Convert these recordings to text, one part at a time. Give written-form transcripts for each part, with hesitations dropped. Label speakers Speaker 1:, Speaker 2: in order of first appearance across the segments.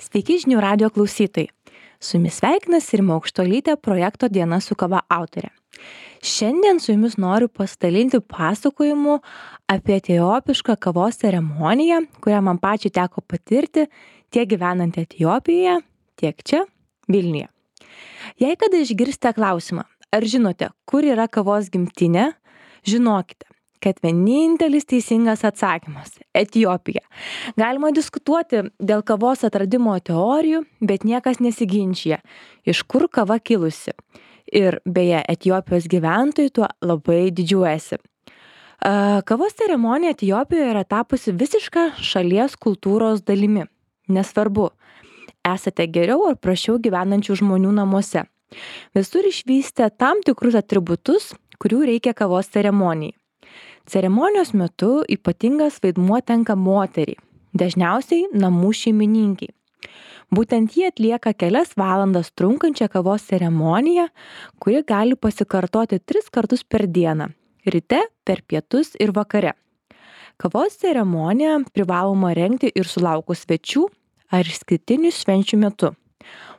Speaker 1: Sveiki žinių radijo klausytojai. Su jumis sveikinasi Rima Aukštuolytė, projekto Diena su kava autorė. Šiandien su jumis noriu pasidalinti pasakojimu apie etiopišką kavos ceremoniją, kurią man pačiai teko patirti tiek gyvenant Etiopijoje, tiek čia, Vilniuje. Jei kada išgirsite klausimą, ar žinote, kur yra kavos gimtinė, žinokite, kad vienintelis teisingas atsakymas – Etiopija. Galima diskutuoti dėl kavos atradimo teorijų, bet niekas nesiginčija, iš kur kava kilusi. Ir beje, Etiopijos gyventojai tuo labai didžiuojasi. Kavos ceremonija Etiopijoje yra tapusi visiška šalies kultūros dalimi. Nesvarbu, esate geriau ar prašiau gyvenančių žmonių namuose. Visur išvystę tam tikrus atributus, kurių reikia kavos ceremonijai. Ceremonijos metu ypatingas vaidmuo tenka moteriai, dažniausiai namų šeimininkiai. Būtent jie atlieka kelias valandas trunkančią kavos ceremoniją, kuri gali pasikartoti 3 kartus per dieną – ryte, per pietus ir vakare. Kavos ceremoniją privaloma rengti ir sulaukus svečių ar išskirtinių švenčių metu.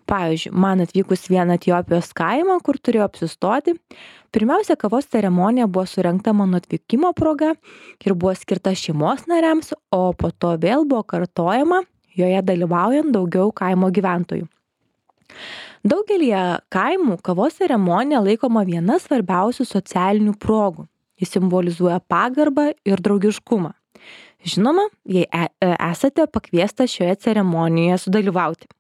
Speaker 1: Pavyzdžiui, man atvykus vieną Etiopijos kaimą, kur turėjau apsistoti, pirmiausia kavos ceremonija buvo surengta mano atvykimo proga ir buvo skirta šeimos nariams, o po to vėl buvo kartojama, joje dalyvaujant daugiau kaimo gyventojų. Daugelyje kaimų kavos ceremonija laikoma viena svarbiausių socialinių progų. Jis simbolizuoja pagarbą ir draugiškumą. Žinoma, jei esate pakviestas šioje ceremonijoje sudalyvauti.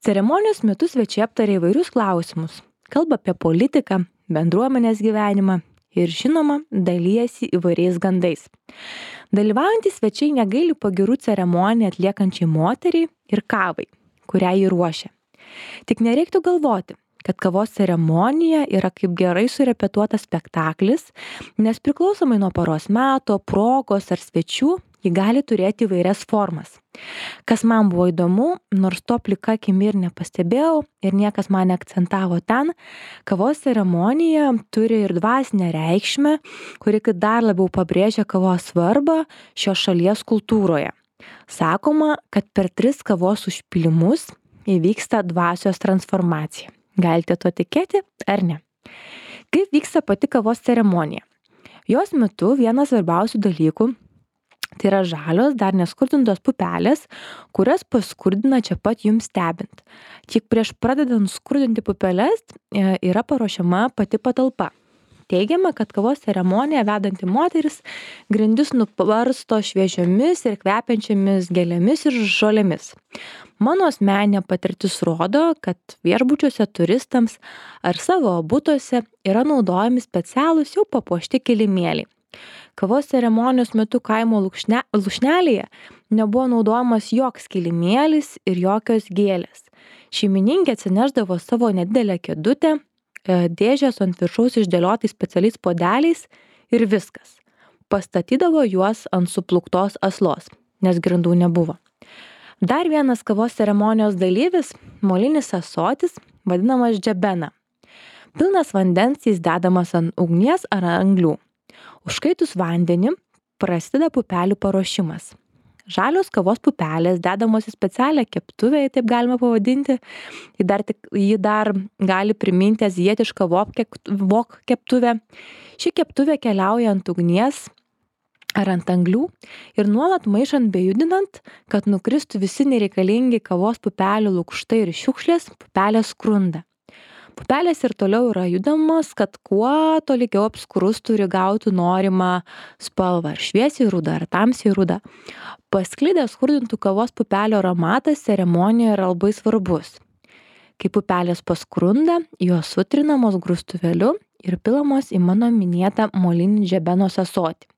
Speaker 1: Ceremonijos metu svečiai aptarė įvairius klausimus, kalba apie politiką, bendruomenės gyvenimą ir, žinoma, dalijasi įvairiais gandais. Dalyvaujantys svečiai negaili pagirų ceremoniją atliekančiai moteriai ir kavai, kurią jį ruošia. Tik nereiktų galvoti, kad kavos ceremonija yra kaip gerai surepetuotas spektaklis, nes priklausomai nuo paros meto, progos ar svečių, ji gali turėti įvairias formas. Kas man buvo įdomu, nors to plika akimi ir nepastebėjau ir niekas man neakcentavo ten, kavos ceremonija turi ir dvasinę reikšmę, kuri dar labiau pabrėžia kavos svarbą šios šalies kultūroje. Sakoma, kad per 3 kavos užpylimus įvyksta dvasios transformacija. Galite to tikėti ar ne? Kaip vyksta pati kavos ceremonija? Jos metu vienas svarbiausių dalykų tai yra žalios, dar neskurdintos pupelės, kurias paskurdina čia pat jums stebint. Tik prieš pradedant skurdinti pupeles yra paruošiama pati patalpa. Teigiama, kad kavos ceremoniją vedanti moteris grindis nubarsto šviežiomis ir kvepiančiamis gėlėmis ir žolėmis. Mano asmeninė patirtis rodo, kad viešbučiuose turistams ar savo butuose yra naudojami specialūs jau papuošti kilimėliai. Kavos ceremonijos metu kaimo lūšnelėje nebuvo naudojamas joks kilimėlis ir jokios gėlės. Šeimininkė atsinešdavo savo nedidelę kėdutę, dėžės ant viršaus išdėliotais specialiais puodeliais ir viskas. Pastatydavo juos ant supluktos aslos, nes grindų nebuvo. Dar vienas kavos ceremonijos dalyvis – molinis ąsotis, vadinamas džebena. Pilnas vandens jis dedamas ant ugnies ar anglių. Užkaitus vandenį prasideda pupelių paruošimas. Žalios kavos pupelės dedamos į specialią keptuvę, jei taip galima pavadinti. Ji dar gali priminti azijietišką wok keptuvę. Ši keptuvė keliauja ant ugnies ar ant anglių ir nuolat maišant bei judinant, kad nukristų visi nereikalingi kavos pupelių lukštai ir šiukšlės, pupelės skrunda. Pupelės ir toliau yra judamos, kad kuo tolygiau apskrustų ir gautų norimą spalvą, ar šviesiai rudą, ar tamsiai rudą. Pasklidęs skurdintų kavos pupelio aromatas ceremonijoje yra labai svarbus. Kai pupelės paskrunda, jos sutrinamos grūstuvėliu ir pilamos į mano minėtą molinį džebenos ąsotį.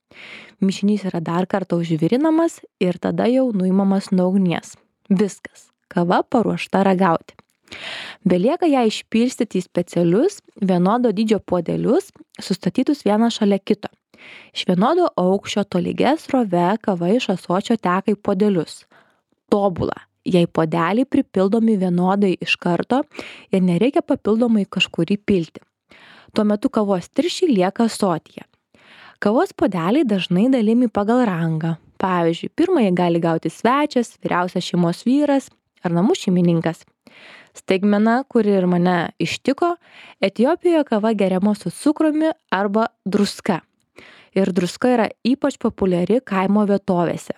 Speaker 1: Mišinys yra dar kartą užvirinamas ir tada jau nuimamas nuo ugnies. Viskas, kava paruošta ragauti. Belieka ją išpilstyti į specialius, vienodo dydžio puodelius, sustatytus vieną šalia kito. Iš vienodo aukščio tolygia srove kava iš ąsočio teka į puodelius. Tobula, jei puodeliai pripildomi vienodai iš karto ir nereikia papildomai kažkur įpilti. Tuo metu kavos tirščiai lieka ąsotyje. Kavos puodeliai dažnai dalimi pagal rangą. Pavyzdžiui, pirmąjį gali gauti svečias, vyriausias šeimos vyras, ar namų šeimininkas. Staigmena, kuri ir mane ištiko, Etiopijoje kava geriama su cukrumi arba druska. Ir druska yra ypač populiari kaimo vietovėse.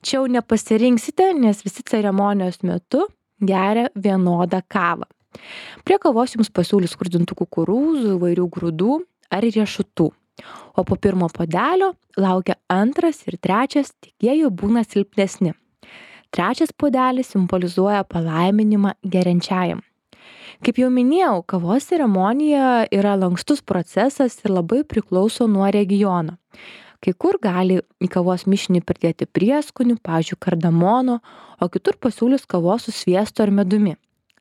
Speaker 1: Čia jau nepasirinksite, nes visi ceremonijos metu geria vienodą kavą. Prie kavos jums pasiūlys skrudintų kukurūzų, įvairių grūdų ar riešutų. O po pirmo puodelio laukia antras ir trečias, tik jie jau būna silpnesni. Trečias puodelis simbolizuoja palaiminimą geriančiajam. Kaip jau minėjau, kavos ceremonija yra lankstus procesas ir labai priklauso nuo regiono. Kai kur gali į kavos mišinį pridėti prieskonių, pavyzdžiui, kardamono, o kitur pasiūlys kavos su sviestu ar medumi.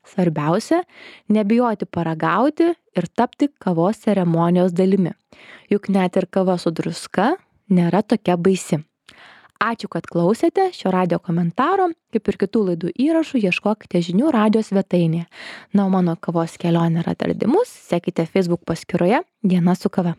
Speaker 1: Svarbiausia, nebijoti paragauti ir tapti kavos ceremonijos dalimi. Juk net ir kava su druska nėra tokia baisi. Ačiū, kad klausėte šio radijo komentaro. Kaip ir kitų laidų įrašų, ieškokite žinių radijo svetainėje. Na, o mano kavos kelionė ir atradimus sekite Facebook paskyroje Diena su kava.